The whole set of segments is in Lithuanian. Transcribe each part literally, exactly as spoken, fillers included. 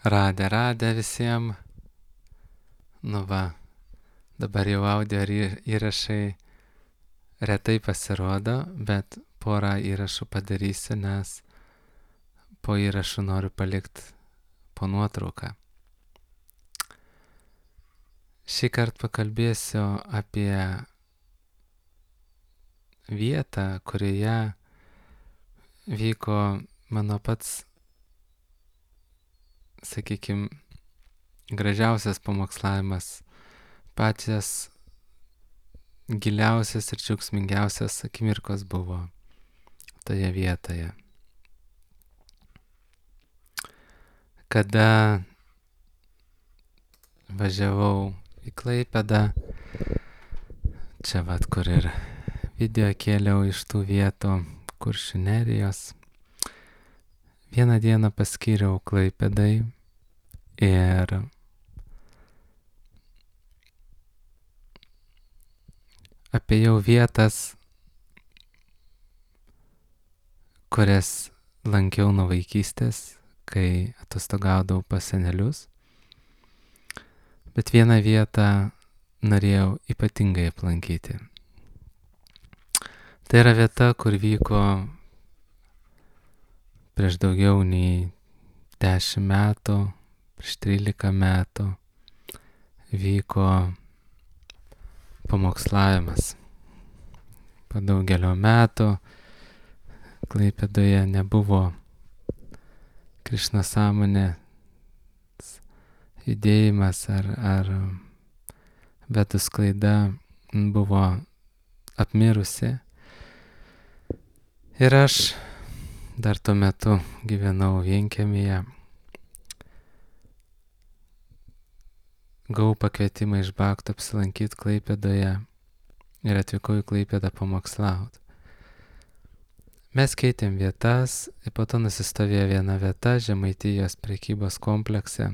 Radė, radė visiems. Nu va, dabar jau audio įrašai retai pasirodo, bet porą įrašų padarysiu, nes po įrašų noriu palikti po nuotrauką. Šį kartą pakalbėsiu apie vietą, kurioje vyko mano pats, sakykime, gražiausias pamokslavimas, pačias giliausias ir džiaugsmingiausias akimirkos buvo toje vietoje. Kada važiavau į Klaipėdą, čia vat kur ir video kėliau iš tų vietų Kuršių nerijos, vieną dieną paskyriau Klaipėdai ir apėjau vietas, kurias lankiau nuo vaikystės, kai atostogaudavau pas senelius. Bet vieną vietą norėjau ypatingai aplankyti. Tai yra vieta, kur vyko prieš daugiau nei dešimt metų, prieš trylika metų vyko pamokslavimas. Po daugelio metų Klaipėdoje nebuvo Krišna sąmonės judėjimas ar, ar vedų sklaida buvo apmirusi. Ir aš dar tuo metu gyvenau vienkiemyje. Gavau pakvietimą iš Bakto apsilankyti Klaipėdoje ir atvykau į Klaipėdą pamokslauti. Mes keitėm vietas ir po to nusistovėjo viena vieta Žemaitijos prekybos komplekse,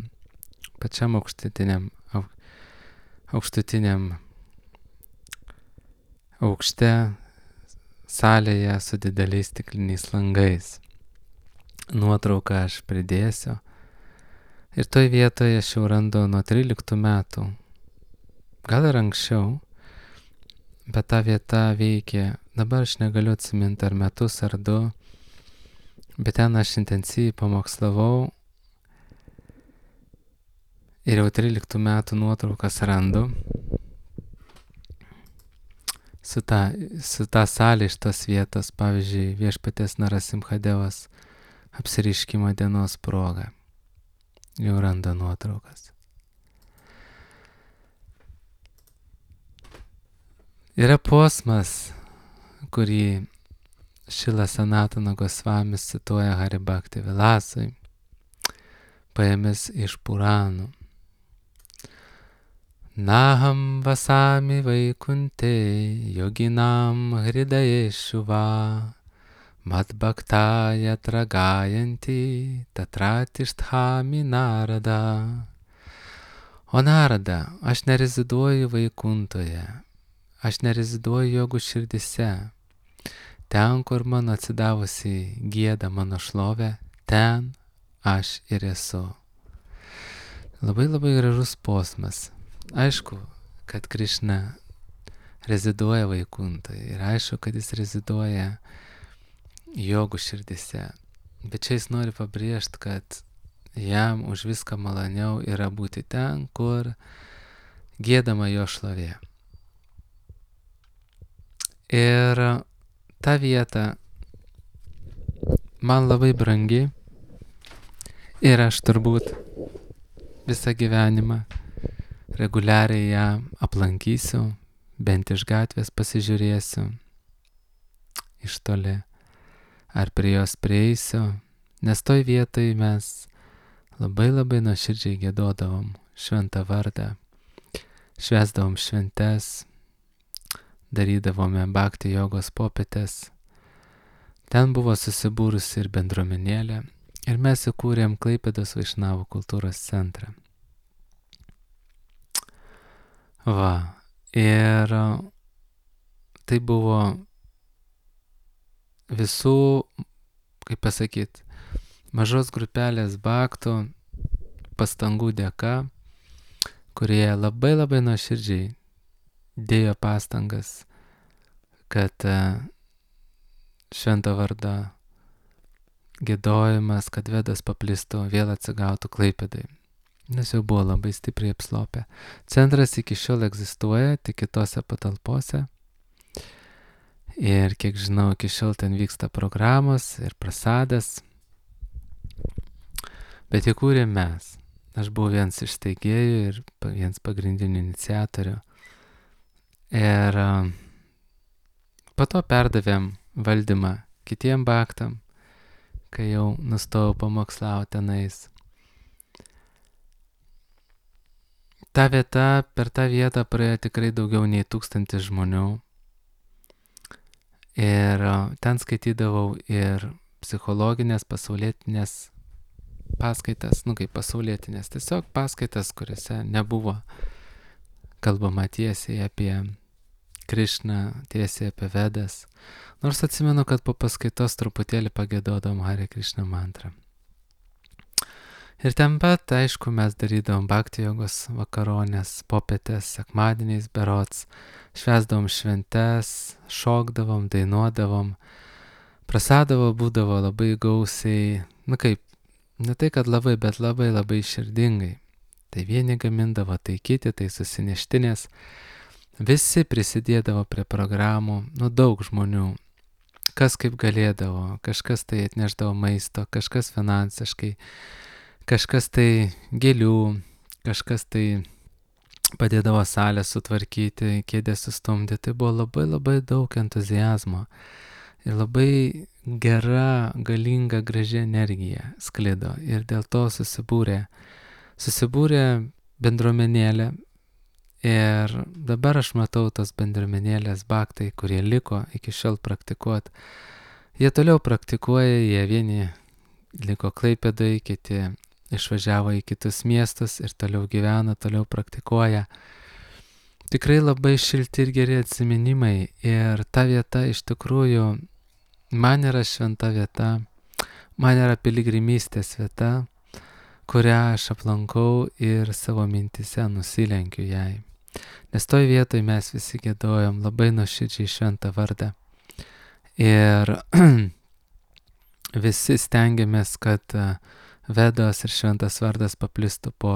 pačiam aukštutiniam, au, aukštutiniam aukšte, salėje su dideliais stikliniais langais. Nuotrauką aš pridėsiu. Ir toj vietoje aš jau randu nuo tryliktų metų, gal ir anksčiau, bet ta vieta veikė, dabar aš negaliu atsiminti ar metus ar du, bet ten aš intensyviai pamokslavau ir jau tryliktų metų nuotraukas randu. Su ta, su ta salė iš tos vietos, pavyzdžiui, Viešpaties Narasimhadevos apsireiškimo dienos proga. Jau randa nuotraukas. Yra posmas, kurį Šila Sanatana Gosvamis cituoja Hari Bhakti Vilasui, paėmęs iš Puranų. Naham vasami vaikunte yoginam hridayeshu va mat bhaktaya tragayanti tatratisthami narada. O Narada, aš nereziduoju Vaikuntoje, aš nereziduoju jogų širdise. Ten, kur mano atsidavusi gieda mano šlovę, ten aš ir esu. Labai labai gražus posmas. Aišku, kad Krišna reziduoja Vaikuntoje ir aišku, kad jis reziduoja jogų širdise. Bet čia jis nori pabrėžti, kad jam už viską maloniau yra būti ten, kur giedama jo šlovė. Ir ta vieta man labai brangi ir aš turbūt visą gyvenimą reguliariai ją aplankysiu, bent iš gatvės pasižiūrėsiu iš toli, ar prie jos prieisiu, nes toj vietoj mes labai labai nuoširdžiai giedodavom šventą vardą, švęsdavom šventes, darydavome bhakti jogos popietes. Ten buvo susibūrusi ir bendruomenėlė ir mes įkūrėm Klaipėdos Vaišnavų kultūros centrą. Va, ir tai buvo visų, kaip pasakyti, mažos grupelės bhaktų pastangų dėka, kurie labai labai nuoširdžiai dėjo pastangas, kad švento vardo giedojimas, kad Vedos paplistų, vėl atsigautų Klaipėdai. Nes jau buvo labai stipriai apslopę. Centras iki šiol egzistuoja, tik kitose patalpose. Ir kiek žinau, iki šiol ten vyksta programos ir prasadas. Bet įkūrėm mes. Aš buvau vienas iš steigėjų ir vienas pagrindinių iniciatorių. Ir po to perdavėm valdymą kitiem baktam, kai jau nustojau pamokslauti tenais. Ta vieta, per tą vietą praėjo tikrai daugiau nei tūkstantis žmonių. Ir ten skaitydavau ir psichologinės, pasaulietinės paskaitas, nu kaip pasaulietinės, tiesiog paskaitas, kuriuose nebuvo kalbama tiesiai apie Krišną, tiesiai apie Vedas. Nors atsimenu, kad po paskaitos truputėlį pagiedodavom Hare Krishna mantrą. Ir ten pat, aišku, mes darydavom bhakti jogos vakaronės, popietės, sekmadieniais berods, švęsdavom šventes, šokdavom, dainuodavom, prasadavo būdavo labai gausiai, nu kaip, ne tai kad labai, bet labai labai širdingai. Tai vieni gamindavo, tai kiti, tai susineštinės, visi prisidėdavo prie programų, nu daug žmonių, kas kaip galėdavo, kažkas tai atneždavo maisto, kažkas finansiškai, kažkas tai gėlių, kažkas tai padėdavo salę sutvarkyti, kėdę sustumdyti. Tai buvo labai labai daug entuziazmo ir labai gera, galinga, graži energija sklido. Ir dėl to susibūrė, susibūrė bendruomenėlė. Ir dabar aš matau tos bendruomenėlės bhaktai, kurie liko iki šiol praktikuot. Jie toliau praktikuoja, jie vieni liko Klaipėdai, kiti išvažiavo į kitus miestus ir toliau gyvena, toliau praktikuoja. Tikrai labai šilti ir geri atsiminimai ir ta vieta iš tikrųjų man yra šventa vieta, man yra piligrimystės vieta, kurią aš aplankau ir savo mintise nusilenkiu jai. Nes toj vietoj mes visi giedojom labai nuoširdžiai šventą vardą. Ir visi stengiamės, kad Vedos ir šventas vardas paplistų po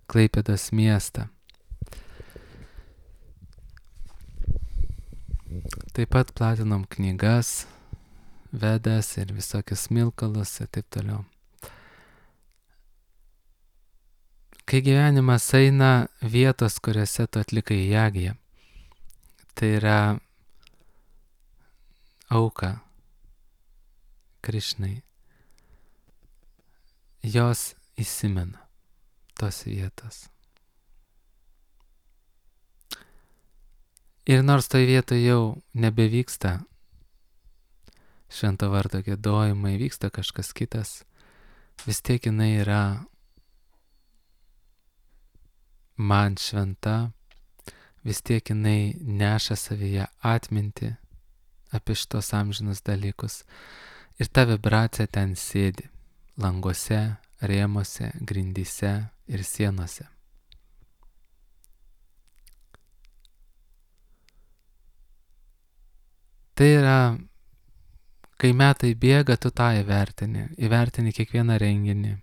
Klaipėdos miestą. Taip pat platinom knygas, Vedas ir visokius smilkalus ir taip toliau. Kai gyvenimas eina, vietos, kuriuose tu atlikai jagiją, tai yra auka Krišnai. Jos įsimena tos vietos. Ir nors toj vietoje jau nebevyksta švento vardo giedojimai, vyksta kažkas kitas, vis tiek jinai yra man šventa, vis tiek jinai neša savyje atmintį apie šitos amžinus dalykus. Ir ta vibracija ten sėdi. Languose, rėmuose, grindyse ir sienose. Tai yra, kai metai bėga, tu tą įvertini. Įvertini kiekvieną renginį,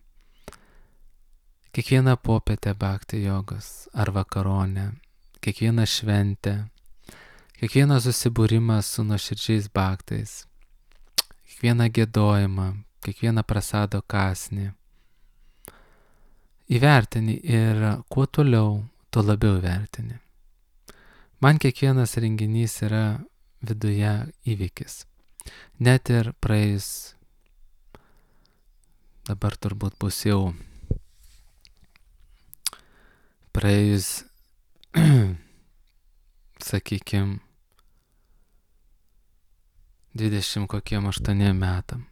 kiekvieną popietę bhakti jogos ar vakaronę, kiekvieną šventę, kiekvieną susibūrimą su nuoširdžiais bhaktais, kiekvieną giedojimą, kiekvieną prasado kąsnį. Įvertini ir kuo toliau, tuo labiau įvertini. Man kiekvienas renginys yra viduje įvykis. Net ir praėjus, dabar turbūt bus jau praėjus, sakykim, dvidešimt kokiem aštuoniem metam.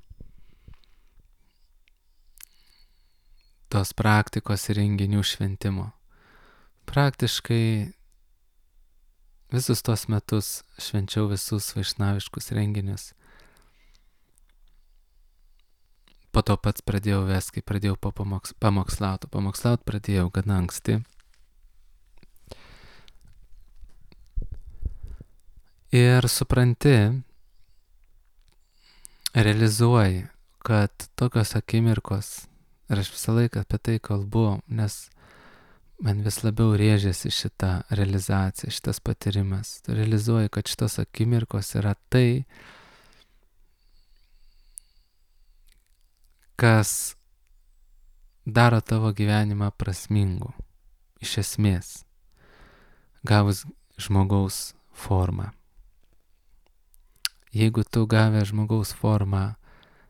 Tos praktikos ir renginių šventimo. Praktiškai visus tos metus švenčiau visus vaišnaviškus renginius. po to pats pradėjau vesti, kai pradėjau pamoks, pamokslauti. Pamokslauti pradėjau gana anksti. Ir supranti, realizuoji, kad tokios akimirkos, ir aš visą laiką apie tai kalbu, nes man vis labiau rėžiasi šita realizacija, šitas patyrimas. Tu realizuoji, kad šitos akimirkos yra tai, kas daro tavo gyvenimą prasmingu, iš esmės, gavus žmogaus formą. Jeigu tu gavę žmogaus formą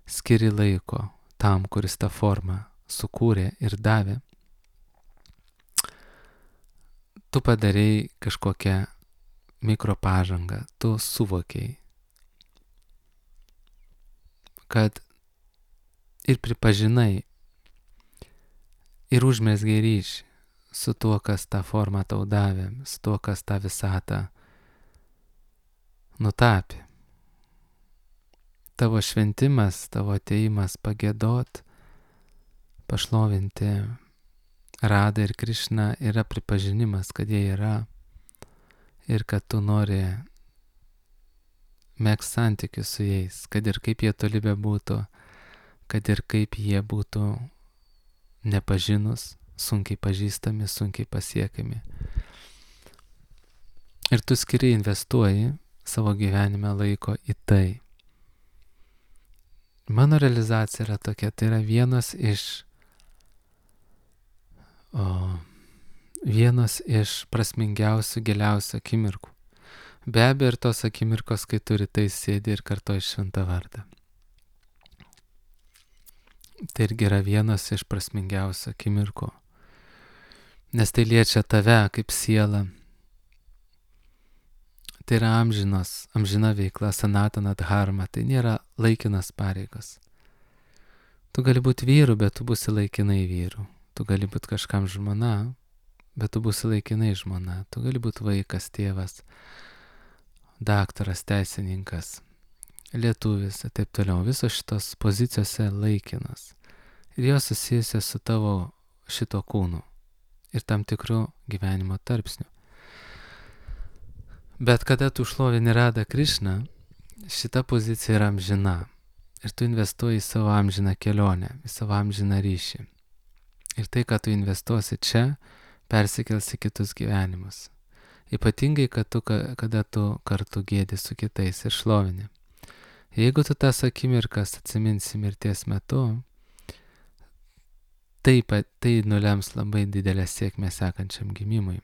skiri laiko tam, kuris tą formą sukūrė ir davė, tu padarei kažkokią mikropažangą, tu suvokiai, kad ir pripažinai, ir užmezgei ryšį su tuo, kas tą formą tau davė, su tuo, kas tą visatą nutapė. Tavo šventimas, tavo ateimas pagėdot, pašlovinti Radą ir Krišną yra pripažinimas, kad jie yra ir kad tu nori megzti santykius su jais, kad ir kaip jie toli bebūtų, kad ir kaip jie būtų nepažinus, sunkiai pažįstami, sunkiai pasiekiami. Ir tu skiri investuoji savo gyvenime laiko į tai. Mano realizacija yra tokia, tai yra vienas iš O vienas iš prasmingiausių, giliausių akimirkų. Be abejo ir tos akimirkos, kai tu rytais sėdi ir kartoji šventą vardą. Tai irgi yra vienas iš prasmingiausių akimirkų. Nes tai liečia tave kaip sielą. Tai yra amžinos, amžina veikla, sanatana dharma. Tai nėra laikinas pareigas. Tu gali būti vyru, bet tu būsi laikinai vyru. Tu gali būti kažkam žmona, bet tu būsi laikinai žmona. Tu gali būti vaikas, tėvas, daktaras, teisininkas, lietuvis ir taip toliau. Visos šitos pozicijose laikinas. Ir jos susijusios su tavo šito kūnu ir tam tikru gyvenimo tarpsniu. Bet kada tu šlovini Radą Krišną, šita pozicija yra amžina. Ir tu investuoji į savo amžiną kelionę, į savo amžiną ryšį. Ir tai, ką tu investuosi čia, persikels į kitus gyvenimus. Ypatingai, kad tu, kada tu kartu gėdi su kitais ir šlovini. Jeigu tu tas akimirkas atsiminsi mirties metu, tai, tai nulems labai didelę sėkmę sekančiam gimimui.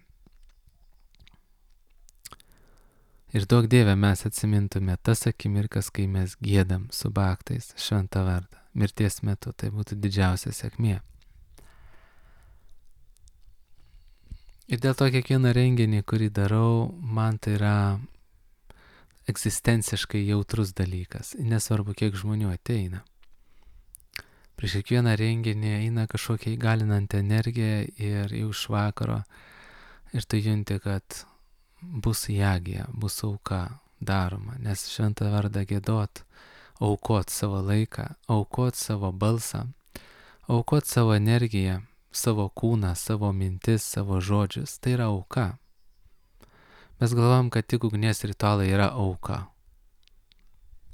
Ir duok Dieve mes atsimintume tas akimirkas, kai mes gėdam su baktais šventą vardą. Mirties metu tai būtų didžiausia sėkmė. Ir dėl to kiekvieną renginį, kurį darau, man tai yra egzistenciškai jautrus dalykas. Nesvarbu, kiek žmonių ateina. Prieš kiekvieną renginį eina kažkokia įgalinanti energija ir jau iš vakaro ir tu junti, kad bus jagija, bus auka daroma. Nes šventą vardą giedot, aukot savo laiką, aukot savo balsą, aukot savo energiją, savo kūną, savo mintis, savo žodžius, tai yra auka. Mes galvom, kad tik ugnies ritualai yra auka.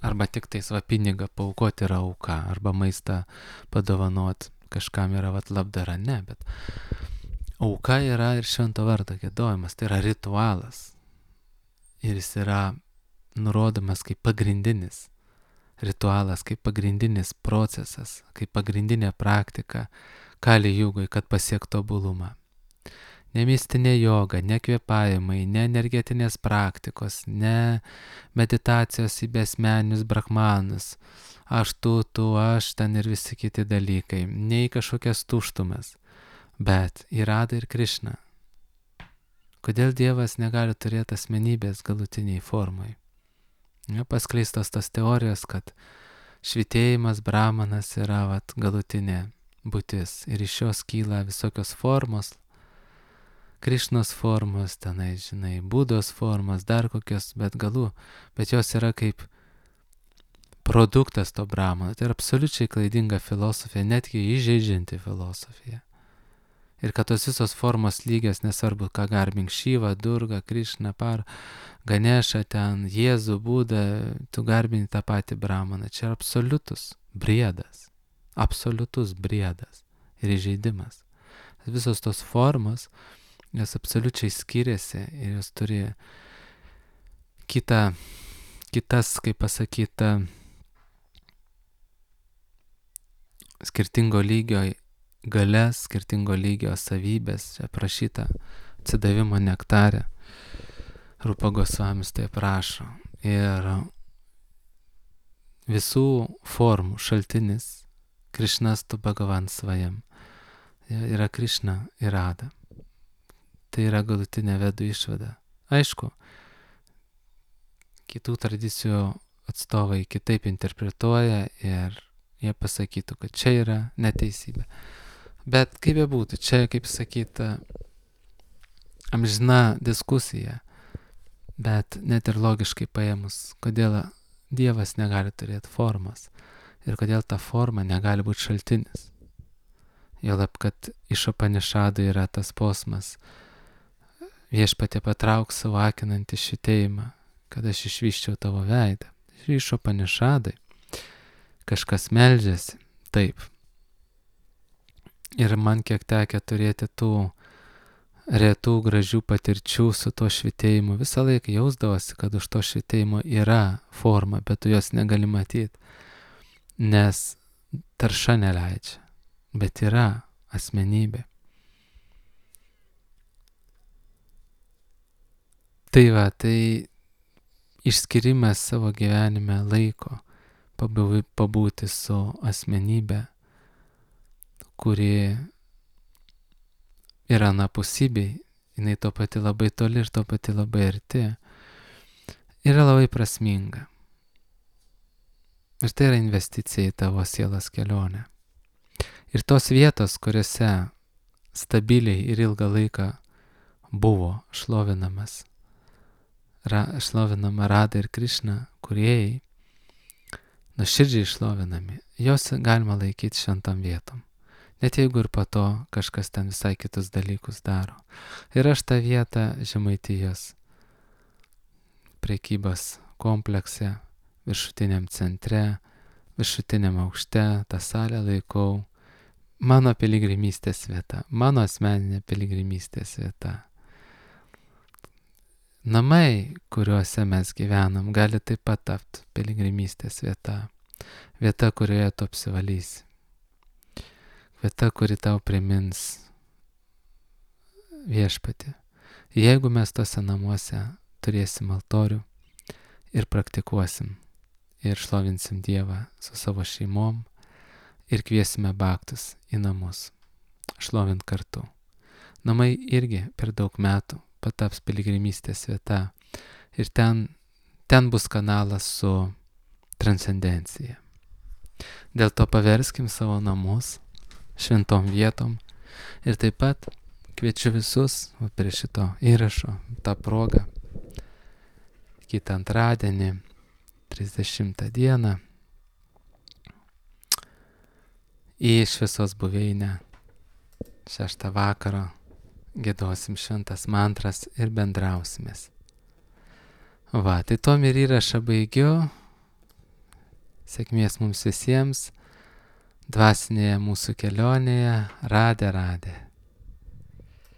Arba tik tai savo pinigą paaukoti yra auka, arba maistą padovanot kažkam yra vat labdara. Ne, bet auka yra ir švento vardo giedojimas, tai yra ritualas. Ir jis yra nurodomas kaip pagrindinis ritualas, kaip pagrindinis procesas, kaip pagrindinė praktika Kali Jugoj, kad pasiektų tobulumą. Ne mistinė joga, ne kvėpavimai, ne energetinės praktikos, ne meditacijos į besmenius brahmanus, aš tu, tu, aš, ten ir visi kiti dalykai, ne į kažkokias tuštumas, bet į Radą ir Krišną. Kodėl Dievas negali turėti asmenybės galutiniai formai? Ja, paskleistos tos teorijos, kad švitėjimas brahmanas yra vat, galutinė būtis ir iš jos kyla visokios formos, Krišnos formos, tenai, žinai, Budos formos, dar kokios, bet galų, bet jos yra kaip produktas to Brahmano. Tai yra absoliučiai klaidinga filosofija, netgi įžeidžianti filosofija. Ir kad tos visos formos lygios, nesvarbu, ką garbink Šyvą, Durgą, Krišną, Par, Ganešą, ten, Jėzų, Budą, tu garbini tą patį Brahmaną. Čia yra absoliutus briedas. Absoliutus briedas ir įžeidimas. Visos tos formos, jos absoliučiai skiriasi ir jos turi kitą, kitas, kaip pasakyta, skirtingo lygio galės, skirtingo lygio savybės, čia prašyta atsidavimo nektarė. Rupa Gosvamis tai prašo. Ir visų formų šaltinis Krišnas tu Bhagavan svajam. Yra Krišna ir Rada. Tai yra galutinė vedų išvada. Aišku, kitų tradicijų atstovai kitaip interpretuoja ir jie pasakytų, kad čia yra neteisybė. Bet kaip bebūtų, čia, kaip sakyta, amžina diskusija, bet net ir logiškai paėmus, kodėl Dievas negali turėti formas ir kodėl ta forma negali būti šaltinis. Juolab, kad iš Upanišadų yra tas posmas, viešpatie patrauk savo akinantį švytėjimą, kad aš išvyščiau tavo veidą. Ir iš Upanišadai kažkas meldžiasi, taip. Ir man kiek tekę turėti tų retų gražių patirčių su to švytėjimu, visą laiką jausdavosi, kad už to švytėjimo yra forma, bet tu jos negali matyti, nes tarša neleidžia, bet yra asmenybė. Tai va, tai išskirimas savo gyvenime laiko, pabūti su asmenybė, kuri yra anapusybėj, jinai to pati labai toli ir to pati labai arti, yra labai prasminga. Ir tai yra investicija į tavo sielos kelionę. Ir tos vietos, kuriuose stabiliai ir ilgą laiką buvo šlovinamas, ra, šlovinama Rada ir Krišna, kūrėjai, nuoširdžiai šlovinami, jos galima laikyti šventam vietom. Net jeigu ir po to kažkas ten visai kitus dalykus daro. Ir aš tą vietą Žemaitijos prekybos komplekse, viršutiniam centre, viršutiniam aukšte, tą salę laikau mano piligrimystės vieta, mano asmeninė piligrimystės vieta. Namai, kuriuose mes gyvenam, gali taip pat tapti piligrimystės vieta. Vieta, kurioje tu apsivalysi. Vieta, kuri tau primins viešpatį. Jeigu mes tose namuose turėsim altorių ir praktikuosim ir šlovinsim Dievą su savo šeimom ir kviesime baktus į namus, šlovint kartu. Namai irgi per daug metų pataps piligrimystės vieta ir ten, ten bus kanalas su transcendencija. Dėl to paverskim savo namus šventom vietom ir taip pat kviečiu visus prie šito įrašo tą progą kitą antradienį, trisdešimtą dieną į šviesos buveinę šeštą vakaro giedosim šventas mantras ir bendrausimės. Va, tai tom ir įrašą baigiu. Sėkmės mums visiems dvasinėje mūsų kelionėje. Radė, radė.